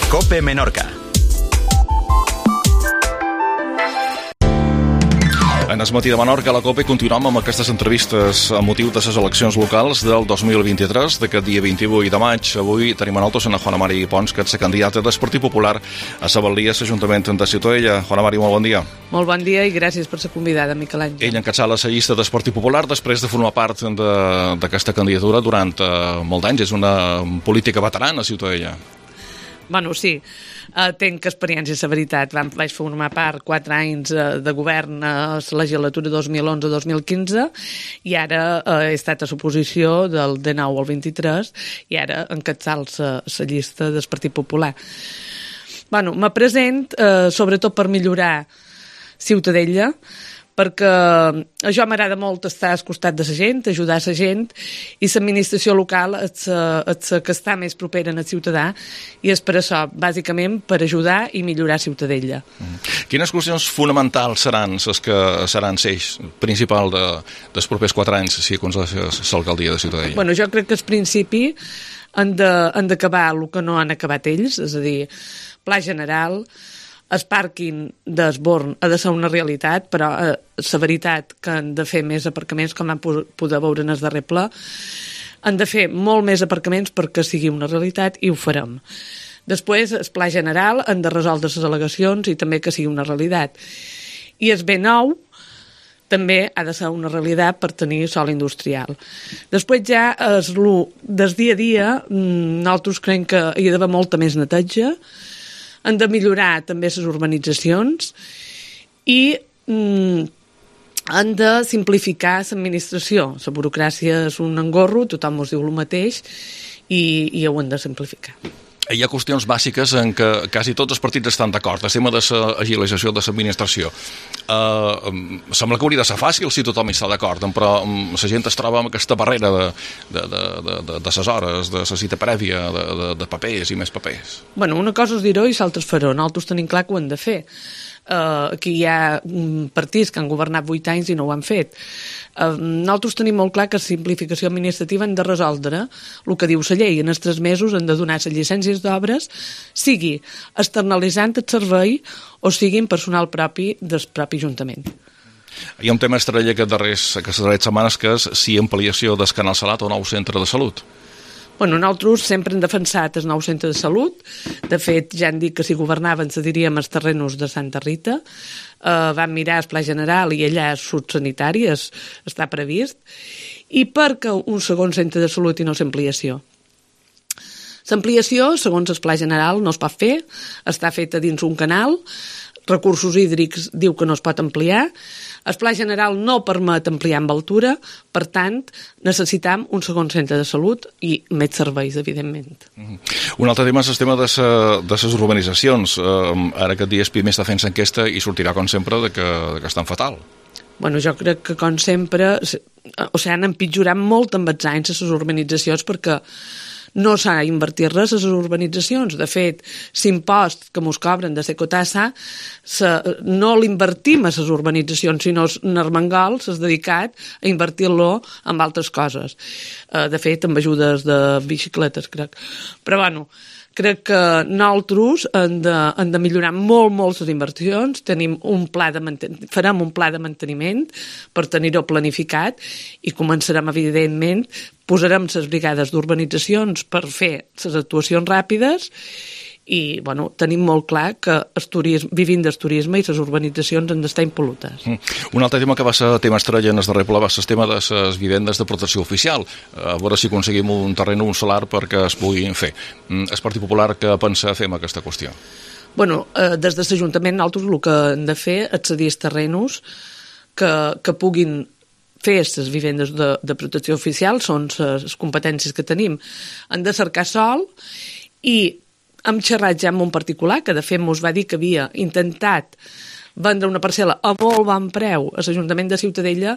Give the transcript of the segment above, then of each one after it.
COPE Menorca. En el matí de Menorca, a la COPE, continuem amb aquestes entrevistes a motiu de les eleccions locals del 2023, d'aquest dia 28 de maig. Avui tenim a nosaltres a Juana Mari Pons, que és la candidata del Partit Popular a la Balia, a l'Ajuntament de Ciutadella. Juana Mari, molt bon dia. Molt bon dia i gràcies per ser convidada, Miquel Àngel. Ell encapçala la llista del Partit Popular després de formar part d'aquesta candidatura durant molt d'anys. És una política veterana a Ciutadella. Bueno, sí, tenc experiència, la veritat. Vaig formar part 4 anys de govern a la legislatura 2011-2015 i ara he estat a l'oposició del 19 al 23 i ara encapçalo la llista del Partit Popular. Bueno, me present sobretot per millorar Ciutadella, perquè a jo m'agrada molt estar al costat de la gent, ajudar la gent, i l'administració local és la que està més propera al ciutadà, i és per això, bàsicament, per ajudar i millorar Ciutadella. Quines qüestions fonamentals seran les que seran l'eix principal dels propers 4 anys si aconsegueixes l'alcaldia de Ciutadella? Bueno, jo crec que al principi han d'acabar el que no han acabat ells, és a dir, pla general. El pàrquing d'Esborn ha de ser una realitat, però la veritat que han de fer més aparcaments, com vam poder veure en el darrer ple, han de fer molt més aparcaments perquè sigui una realitat i ho farem. Després, el pla general, han de resoldre les al·legacions i també que sigui una realitat. I el B9 també ha de ser una realitat per tenir sòl industrial. Després ja, des dia a dia, nosaltres creiem que hi ha d'haver molta més neteja, han de millorar també les urbanitzacions i han de simplificar l'administració. La burocràcia és un engorro, tothom us diu el mateix i ho han de simplificar. Hi ha qüestions bàsiques en què quasi tots els partits estan d'acord. El tema de l'agilització de l'administració. Sembla que hauria de ser fàcil si tothom hi està d'acord, però la gent es troba amb aquesta barrera de les hores, de la cita prèvia, de papers i més papers. Bueno, una cosa és dir-ho i l'altra és fer-ho. Nosaltres tenim clar que ho hem de fer. Aquí hi ha partits que han governat 8 anys i no ho han fet. Nosaltres tenim molt clar que la simplificació administrativa han de resoldre el que diu la llei. En els 3 mesos han de donar les llicències d'obres, sigui externalitzant el servei o sigui en personal propi del propi Ajuntament. Hi ha un tema estrella aquestes darreres setmanes, que és si ampliació del Canal Salat o nou centre de salut. Bueno, nosaltres sempre hem defensat el nou centre de salut. De fet, ja han dit que si governaven cediríem els terrenos de Santa Rita. Vam mirar el pla general i allà és sanitari, està previst. I perquè un segon centre de salut i no l'ampliació? L'ampliació, segons el pla general, no es pot fer, està feta dins un canal, Recursos Hídrics diu que no es pot ampliar, el pla general no permet ampliar amb altura, per tant, necessitam un segon centre de salut i més serveis, evidentment. Un altre tema és el tema de les urbanitzacions. Ara aquest dia Espí està fent l'enquesta i sortirà, com sempre, que estan fatal. Bueno, jo crec que, com sempre, han empitjorat molt amb els anys les urbanitzacions perquè no s'ha invertit res a les urbanitzacions. De fet, l'impost que ens cobren de Secotassa no l'invertim a les urbanitzacions, sinó en Armengol s'ha dedicat a invertir-lo en altres coses. De fet, amb ajudes de bicicletes, crec. Però, bueno, crec que nosaltres hem de millorar molt les inversions. Farem un pla de manteniment per tenir-ho planificat i començarem, evidentment, posarem les brigades d'urbanitzacions per fer les actuacions ràpides i, bueno, tenim molt clar que vivint del turisme i les urbanitzacions han d'estar impol·lutes. Un altre tema que va ser tema estrella en el darrer ple va ser el tema de les vivendes de protecció oficial. A veure si aconseguim un terreny, un solar perquè es puguin fer. El Partit Popular què pensa fer amb aquesta qüestió? Bueno, des de l'Ajuntament nosaltres el que hem de fer és cedir els terrenys que puguin fer les vivendes de protecció oficial, són les competències que tenim. Han de cercar sòl i hem xerrat ja amb un particular que de fet ens va dir que havia intentat vendre una parcel·la a molt bon preu a l'Ajuntament de Ciutadella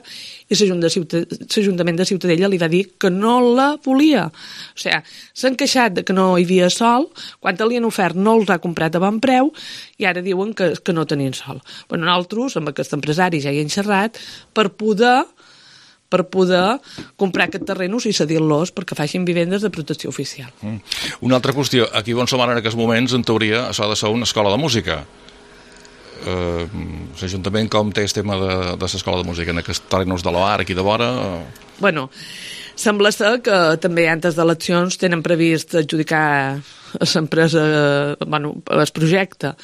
i l'Ajuntament de Ciutadella li va dir que no la volia. O sigui, s'han queixat de que no hi havia sol, quan li han ofert no els ha comprat a bon preu i ara diuen que no tenien sol. Bueno, nosaltres, amb aquest empresari ja hi hem xerrat, per poder per poder comprar aquests terrenos i cedir-los perquè facin vivendes de protecció oficial. Una altra qüestió, aquí on som ara en aquests moments, en teoria, això ha de ser una escola de música. L'Ajuntament com té el tema de l'escola de música en aquests terrenys de l'OAR aquí de vora? Bueno, sembla ser que també antes d'eleccions tenen previst adjudicar a l'empresa, el projecte.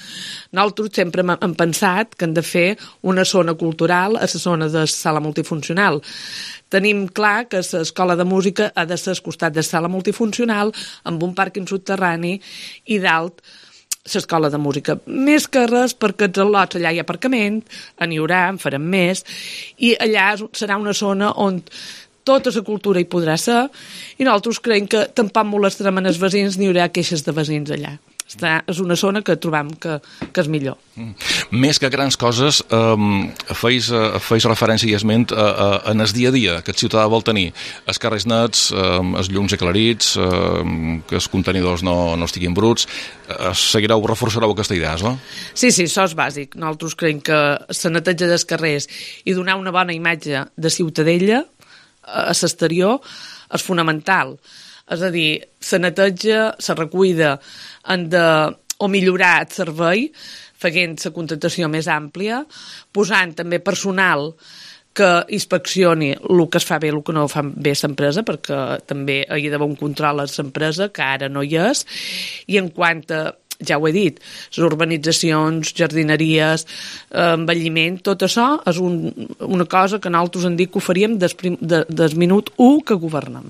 Nosaltres sempre hem pensat que hem de fer una zona cultural a la zona de sala multifuncional. Tenim clar que l'escola de música ha de ser al costat de sala multifuncional amb un pàrquing subterrani i dalt l'escola de música. Més que res perquè els al·lots allà hi ha aparcament, n'hi haurà, en farem més, i allà serà una zona on tota la cultura hi podrà ser, i nosaltres creiem que tampoc molestarem els veïns ni hi haurà queixes de veïns allà. És una zona que trobam que és millor. Més que grans coses, feis referència i esment en el dia a dia que el ciutadà vol tenir. Els carrers nets, els llums aclarits, que els contenidors no estiguin bruts. Reforçareu aquesta idea, no? Sí, això és bàsic. Nosaltres creiem que la neteja dels carrers i donar una bona imatge de Ciutadella a l'exterior és fonamental. És a dir, la neteja, la recuida, han de o millorar el servei, fent la contractació més àmplia, posant també personal que inspeccioni el que es fa bé i el que no fa bé l'empresa, perquè també hi ha d'haver un control a l'empresa, que ara no hi és, i en quant a, ja ho he dit, les urbanitzacions, jardineries, envelliment, tot això és una cosa que nosaltres hem dit que ho faríem des minut 1 que governem.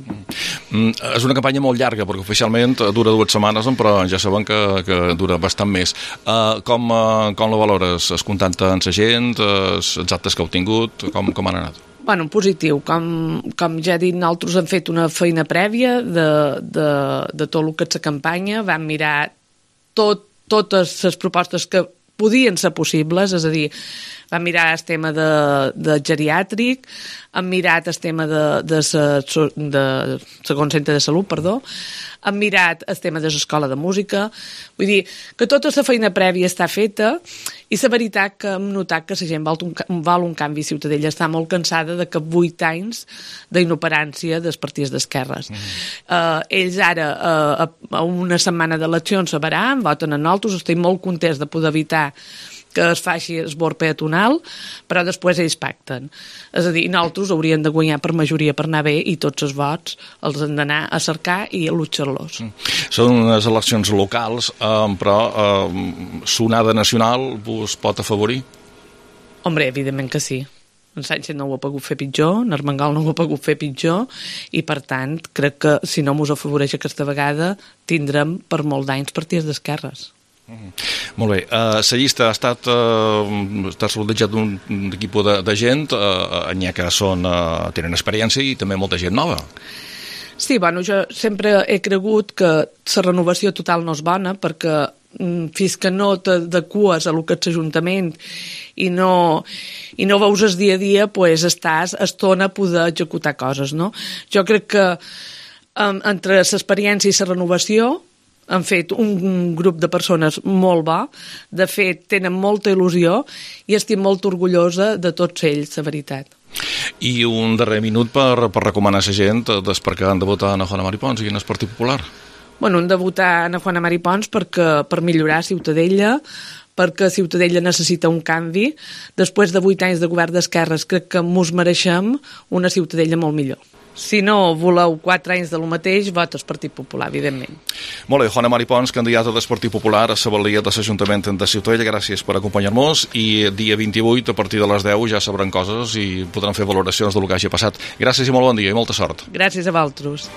És una campanya molt llarga, perquè oficialment dura 2 setmanes, però ja sabem que dura bastant més. Com la valores? Es contacte amb la gent, els actes que heu tingut, com han anat? Bueno, positiu. Com ja he dit, nosaltres hem fet una feina prèvia de tot el que és la campanya, vam mirar totes les propostes que podien ser possibles, és a dir, vam mirar el tema de geriàtric, hem mirat el tema de segon centre de salut, hem mirat el tema de l'escola de música, vull dir que tota la feina prèvia està feta i la veritat que hem notat que la gent vol un canvi. Ciutadella està molt cansada de que 8 anys d'inoperància dels partits d'esquerres. Ells ara, a una setmana d'eleccions, se veran, voten a nosaltres, estem molt contents de poder evitar que es faci esbord peatonal, però després ells pacten. És a dir, nosaltres hauríem de guanyar per majoria per anar bé i tots els vots els hem d'anar a cercar i a luchar-los. Són unes eleccions locals, però sonada nacional us pot afavorir? Hombre, evidentment que sí. En Sánchez no ho ha pogut fer pitjor, en Armengol no ho ha pogut fer pitjor, i per tant crec que si no mos afavoreix aquesta vegada tindrem per molt d'anys partits d'esquerres. Molt bé, la llista ha estat rodejat d'un equip de gent, n'hi ha que tenen experiència i també molta gent nova. Sí, bueno, jo sempre he cregut que la renovació total no és bona, perquè fins que no t'adeques a lo que és l'Ajuntament i no veus el dia a dia, pues estàs estona a poder executar coses, no? Jo crec que entre l'experiència i la renovació han fet un grup de persones molt bo, de fet tenen molta il·lusió i estic molt orgullosa de tots ells, la veritat. I un darrer minut per recomanar a la gent per què han de votar a Juana Mari Pons i en el Partit Popular. Bueno, hem de votar a Juana Mari Pons per millorar Ciutadella, perquè Ciutadella necessita un canvi. Després de 8 anys de govern d'esquerres crec que mos mereixem una Ciutadella molt millor. Si no voleu 4 anys de lo mateix, vota el Partit Popular, evidentment. Molt bé, Juana Mari Pons, candidata del Partit Popular a la valia de l'Ajuntament de Ciutadella, gràcies per acompanyar-nos, i dia 28, a partir de les 10, ja sabran coses i podran fer valoracions del que hagi passat. Gràcies i molt bon dia i molta sort. Gràcies a vosaltres.